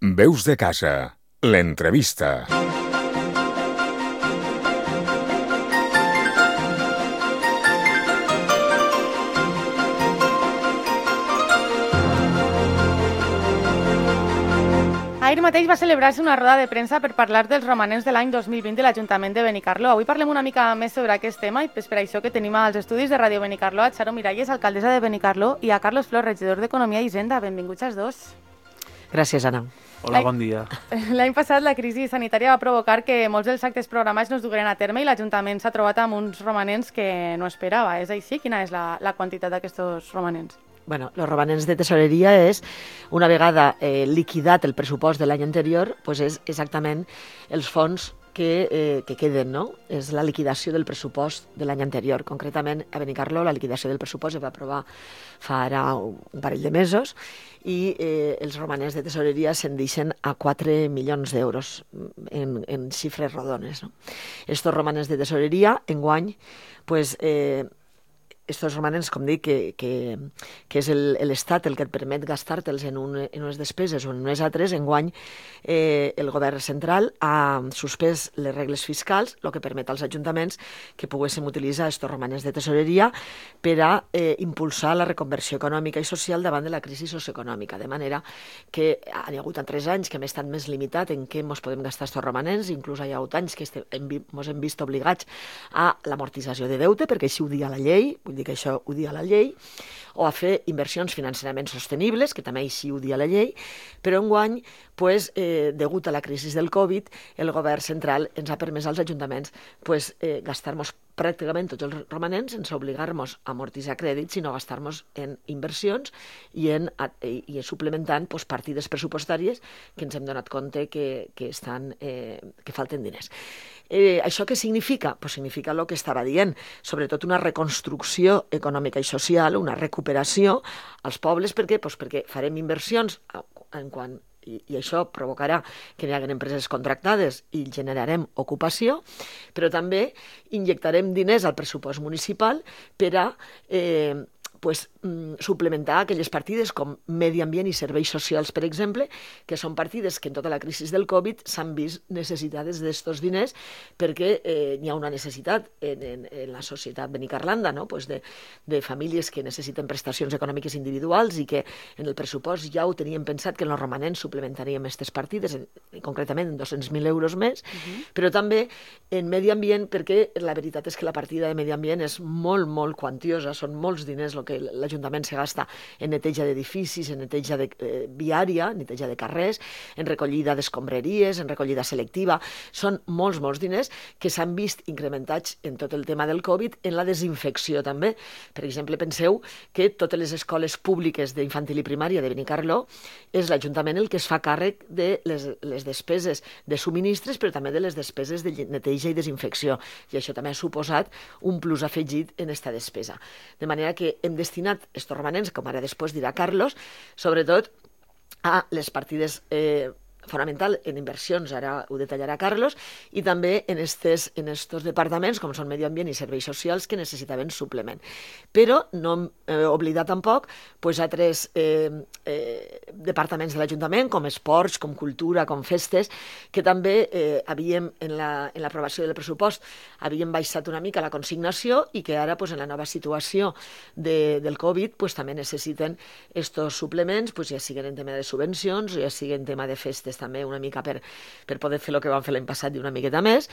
Veus de casa, l'entrevista. Ahir mateix va celebrar-se una roda de premsa per parlar dels romanents de l'any 2020 de l'Ajuntament de Benicarló. Avui parlem una mica més sobre aquest tema i és per això que tenim als estudis de Ràdio Benicarló a Charo Miralles, alcaldessa de Benicarló, i a Carlos Flor, regidor d'Economia i Hisenda. Benvinguts els dos. Gràcies, Anna. Hola, bon dia. L'any passat la crisi sanitària va provocar que molts dels actes programats no es dugueren a terme i l'Ajuntament s'ha trobat amb uns romanents que no esperava. És així? Quina és la quantitat d'aquests romanents? Bueno, los romanents de tesoreria és, una vegada liquidat el pressupost de l'any anterior, pues és exactament els fons que queden, no? És la liquidació del pressupost de l'any anterior. Concretament, a Benicarló, la liquidació del pressupost es va aprovar fa ara un parell de mesos i els romanents de tesoreria se'n deixen a 4 milions d'euros en xifres rodones, no? Estos romanents de tesoreria, enguany, pues, estos romanents, com dic, que és l'Estat el que et permet gastar-te'ls en unes despeses o en unes altres, enguany el govern central ha suspès les regles fiscals, el que permet als ajuntaments que poguéssim utilitzar estos romanents de tesoreria per a impulsar la reconversió econòmica i social davant de la crisi socioeconòmica, de manera que hi ha hagut 3 anys que hem estat més limitat en què ens podem gastar estos romanents, inclús hi ha hagut anys que ens hem vist obligats a l'amortització de deute, perquè així ho dia la llei, vull dir que això ho dia la llei, o a fer inversions financerament sostenibles, que també així ho dia la llei, però enguany, pues, degut a la crisi del Covid, el govern central ens ha permès als ajuntaments pues, gastar-nos pràcticament tots els romanents sense obligar-nos a amortitzar crèdits, sinó gastar-nos en inversions i suplementant pues, partides pressupostàries que ens hem donat compte que falten diners. Això què significa? Pues significa el que estava dient, sobretot una reconstrucció econòmica i social, una recuperació als pobles. Per què? Pues perquè farem inversions i això provocarà que hi hagi empreses contractades i generarem ocupació, però també injectarem diners al pressupost municipal per a suplementar aquelles partides com medi ambient i serveis socials, per exemple, que són partides que en tota la crisi del Covid s'han vist necessitades d'estos diners perquè hi ha una necessitat en la societat benicarlanda, no? Pues de famílies que necessiten prestacions econòmiques individuals i que en el pressupost ja ho teníem pensat que en els romanents suplementaríem aquestes partides, concretament en 200.000 euros més, però també en medi ambient, perquè la veritat és que la partida de medi ambient és molt, molt quantiosa, són molts diners el que l'Ajuntament se gasta en neteja d'edificis, en neteja viària, neteja de carrers, en recollida d'escombraries, en recollida selectiva. Són molts, molts diners que s'han vist incrementats en tot el tema del Covid, en la desinfecció també. Per exemple, penseu que totes les escoles públiques d'infantil i primària de Benicarló és l'Ajuntament el que es fa càrrec de les despeses de subministres, però també de les despeses de neteja i desinfecció. I això també ha suposat un plus afegit en aquesta despesa. De manera que hem destinat estos romanents, com ara després dirà Carlos, sobretot a les partides fonamental en inversions, ara ho detallarà Carlos, i també en estos departaments, com són Medi Ambient i Serveis Socials, que necessitaven suplement. Però no hem oblidat tampoc altres departaments de l'Ajuntament, com Esports, com Cultura, com Festes, que també havíem, en l'aprovació del pressupost, havíem baixat una mica la consignació i que ara, en la nova situació del Covid, també necessiten estos suplements, ja siguin en tema de subvencions, ja siguin en tema de festes també una mica per poder fer el que vam fer l'any passat i una miqueta més,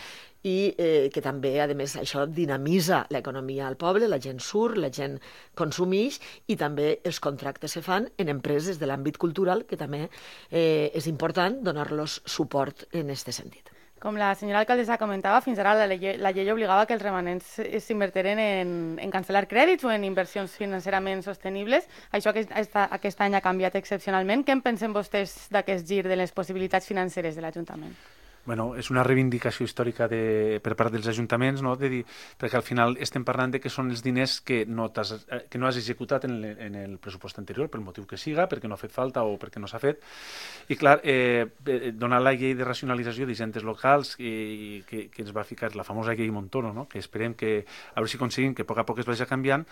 i que també, a més, això dinamitza l'economia al poble, la gent surt, la gent consumeix i també els contractes se fan en empreses de l'àmbit cultural, que també és important donar-los suport en aquest sentit. Com la senyora alcaldessa comentava, fins ara la llei obligava que els romanents s'invertiren en cancel·lar crèdits o en inversions financerament sostenibles. Això aquest any ha canviat excepcionalment. Què en pensen vostès d'aquest gir de les possibilitats financeres de l'Ajuntament? Bueno, és una reivindicació històrica per part dels ajuntaments, no? Perquè al final estem parlant de que són els diners que no has executat en el pressupost anterior, pel motiu que siga, perquè no ha fet falta o perquè no s'ha fet. I clar, donar la llei de racionalització d'hisendes locals que ens va ficar la famosa llei Montoro, no? Que esperem que, a veure si aconseguim que a poc es vagi canviant.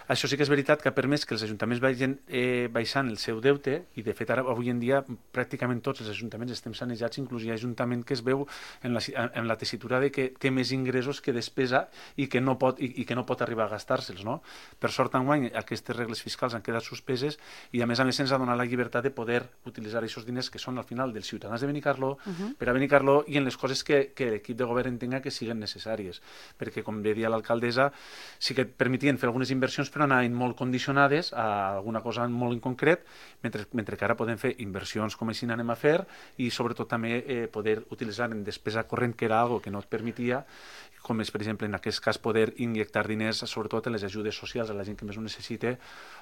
Això sí que és veritat que ha permès que els ajuntaments vagin baixant el seu deute i, de fet, ara, avui en dia, pràcticament tots els ajuntaments estem sanejats, inclús hi ha ajuntament que es veu en la tessitura de que té més ingressos que despesa i que no pot arribar a gastar-se'ls, no? Per sort, enguany, aquestes regles fiscals han quedat suspeses i, a més ens ha donat la llibertat de poder utilitzar aquests diners que són, al final, dels ciutadans de Benicarló per a Benicarló i en les coses que l'equip de govern entenga que siguen necessàries. Perquè, com bé dia l'alcaldessa, sí que permetien fer algunes inversions però anaven molt condicionades a alguna cosa molt en concret, mentre que ara podem fer inversions com així n'anem a fer i, sobretot, també poder utilitzar en despesa corrent, que era algo que no et permetia, com és, per exemple, en aquest cas, poder injectar diners, sobretot en les ajudes socials a la gent que més ho necessita,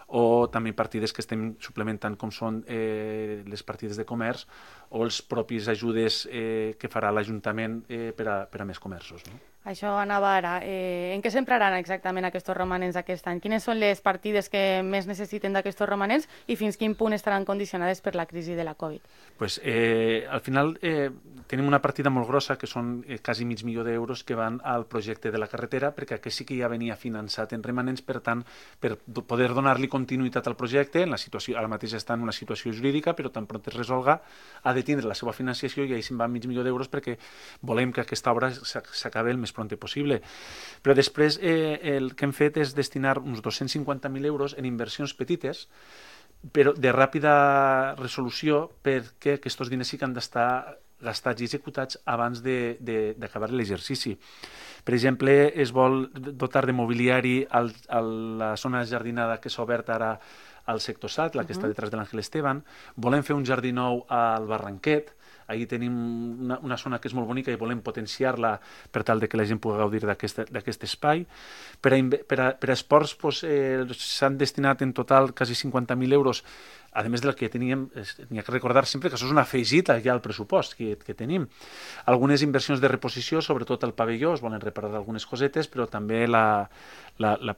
o també partides que estem suplementant, com són les partides de comerç o els propis ajudes que farà l'Ajuntament per a més comerços, no? Això anava ara. En què s'empraran exactament aquests romanents aquest any? Quines són les partides que més necessiten d'aquests romanents i fins quin punt estaran condicionades per la crisi de la Covid? Pues, al final tenim una partida molt grossa, que són quasi $500,000 que van al projecte de la carretera, perquè aquest sí que ja venia finançat en romanents, per tant, per poder donar-li continuïtat al projecte, en la situació, ara mateix està en una situació jurídica, però tan pront es resolga, ha de tindre la seva financiació i ahir se'n va $500,000 perquè volem que aquesta obra s'acabi el més pront possible. Però després el que hem fet és destinar uns €250,000 en inversions petites, però de ràpida resolució, perquè aquests diners sí que han d'estar gastats i executats abans d'acabar l'exercici. Per exemple, es vol dotar de mobiliari a la zona jardinada que s'ha obert ara al sector SAT, la que està detrás de l'Àngel Esteban. Volem fer un jardí nou al Barranquet. Ahir tenim una zona que és molt bonica i volem potenciar-la per tal de que la gent pugui gaudir d'aquest espai. Per a esports s'han destinat en total quasi €50,000, a més del que teníem. N'hi ha que recordar sempre que això és una afegita ja al pressupost que tenim. Algunes inversions de reposició, sobretot el pavelló, es volen reparar algunes cosetes, però també la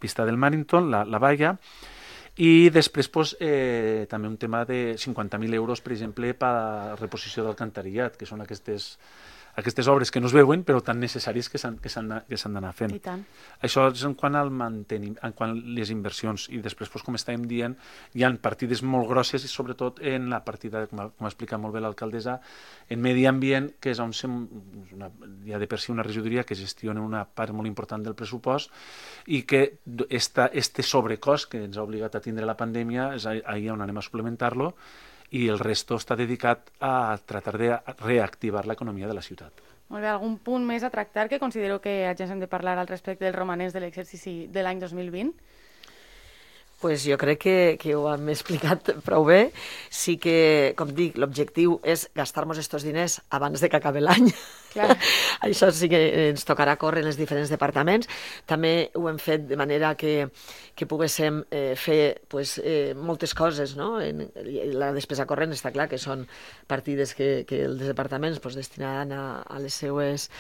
pista del Marington, la valla. I després també un tema de €50,000, per exemple, per a reposició d'alcantarillat, que són aquestes obres que no es veuen però tan necessàries que s'han d'anar fent. I tant. Això és en quant al manteniment, en quant a les inversions. I després, com estàvem dient, hi ha partides molt grosses i sobretot en la partida, com ha explicat molt bé l'alcaldessa, en medi ambient, que és on hi ha de per si una regidoria que gestiona una part molt important del pressupost i que este sobrecost que ens ha obligat a tindre la pandèmia és ahir on anem a suplementar-lo, i el resto està dedicat a tratar de reactivar l'economia de la ciutat. Molt bé, algun punt més a tractar que considero que ja hem de parlar al respecte dels romanents de l'exercici de l'any 2020? Pues jo crec que ho hem explicat prou bé. Sí que, com dic, l'objectiu és gastar-nos aquests diners abans de que acabi l'any. Clar. Això sí que ens tocarà córrer en els diferents departaments. També ho hem fet de manera que poguéssim fer moltes coses, no? La despesa corrent està clar que són partides que els departaments destinaran a les seues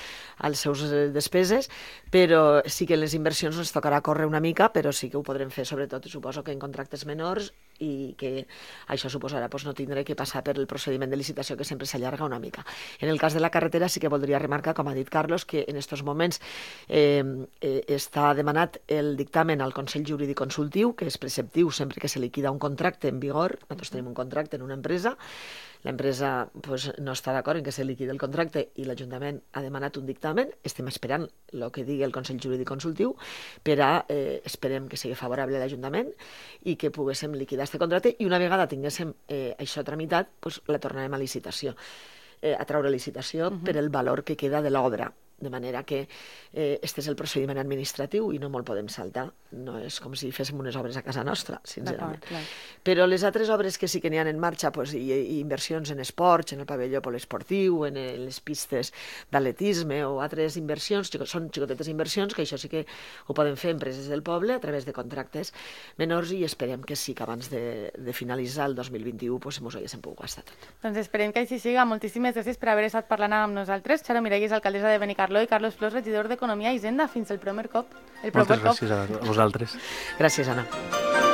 despeses, però sí que en les inversions ens tocarà córrer una mica, però sí que ho podrem fer, sobretot, suposo que en contractes menors, i que això suposarà no tindre que passar per el procediment de licitació, que sempre s'allarga una mica. En el cas de la carretera sí que voldria remarcar, com ha dit Carlos, que en aquests moments està demanat el dictamen al Consell Jurídic Consultiu, que és preceptiu sempre que se liquida un contracte en vigor. Nosaltres tenim un contracte en una empresa, l'empresa no està d'acord en que se liquidi el contracte i l'Ajuntament ha demanat un dictamen. Estem esperant el que digui el Consell Jurídic Consultiu per a, esperem que sigui favorable a l'Ajuntament i que poguéssim liquidar aquest contracte, i una vegada tinguéssim això tramitat, la tornarem a licitació, a treure licitació per el valor que queda de l'obra. de manera que este és el procediment administratiu i no me'l podem saltar. No és com si féssim unes obres a casa nostra, sincerament. Però les altres obres que sí que n'hi ha en marxa, i inversions en esports, en el pavelló poliesportiu, en les pistes d'atletisme o altres inversions, són xicotetes inversions, que això sí que ho poden fer empreses del poble a través de contractes menors i esperem que sí que abans de finalitzar el 2021 mos haguéssim pogut gastar tot. Doncs esperem que així siga. Moltíssimes gràcies per haver estat parlant amb nosaltres. Charo Miralles, alcaldessa de Benicarló, i Carlos Flors, regidor d'Economia i Hisenda. Fins el proper cop. Moltes gràcies a vosaltres. Gràcies, Anna.